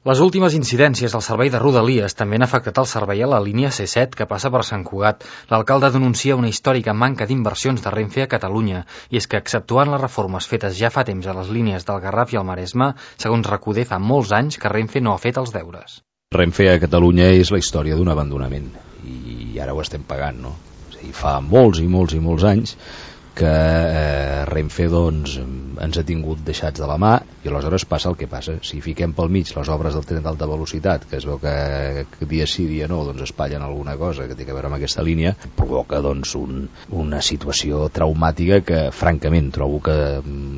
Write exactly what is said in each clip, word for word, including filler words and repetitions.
Les últimes incidències al servei de Rodalies també han afectat el servei a la línia C set que passa per Sant Cugat. L'alcalde denuncia una històrica manca d'inversions de Renfe a Catalunya, i és que, exceptuant les reformes fetes ja fa temps a les línies del Garraf i el Maresme, segons Recoder, fa molts anys que Renfe no ha fet els deures. Renfe a Catalunya és la història d'un abandonament, i ara ho estem pagant, no? És a dir, fa molts i molts i molts anys que eh, Renfe doncs, ens ha tingut deixats de la mà, i aleshores passa el que passa. Si fiquem pel mig les obres del tren d'alta velocitat, que es veu que, que dia sí dia no doncs espatllen alguna cosa que té a veure amb aquesta línia, provoca doncs, un, una situació traumàtica que francament trobo que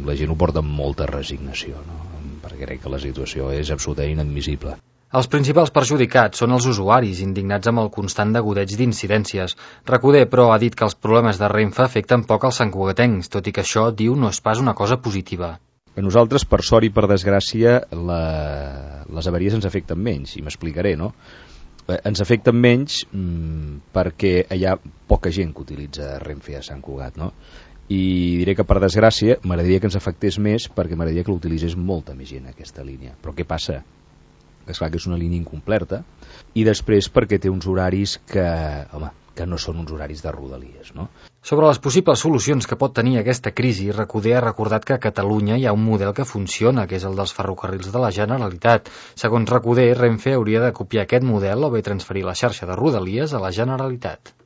la gent ho porta amb molta resignació, no? Perquè crec que la situació és absolutament inadmissible. Els principals perjudicats són els usuaris, indignats amb el constant degoteig d'incidències. Recoder, però, ha dit que els problemes de Renfe afecten poc als santcugatencs, tot i que això, diu, no és pas una cosa positiva. A nosaltres, per sort i per desgràcia, la... les avaries ens afecten menys, i m'explicaré, no? Ens afecten menys mmm, perquè hi ha poca gent que utilitza Renfe a Sant Cugat, no? I diré que, per desgràcia, m'agradaria que ens afectés més perquè m'agradaria que l'utilitzés molta més gent, aquesta línia. Però què passa? Que és clar que és una línia incompleta, i després perquè té uns horaris que, home, que no són uns horaris de Rodalies, no? Sobre les possibles solucions que pot tenir aquesta crisi, Recoder ha recordat que a Catalunya hi ha un model que funciona, que és el dels ferrocarrils de la Generalitat. Segons Recoder, Renfe hauria de copiar aquest model o bé transferir la xarxa de Rodalies a la Generalitat.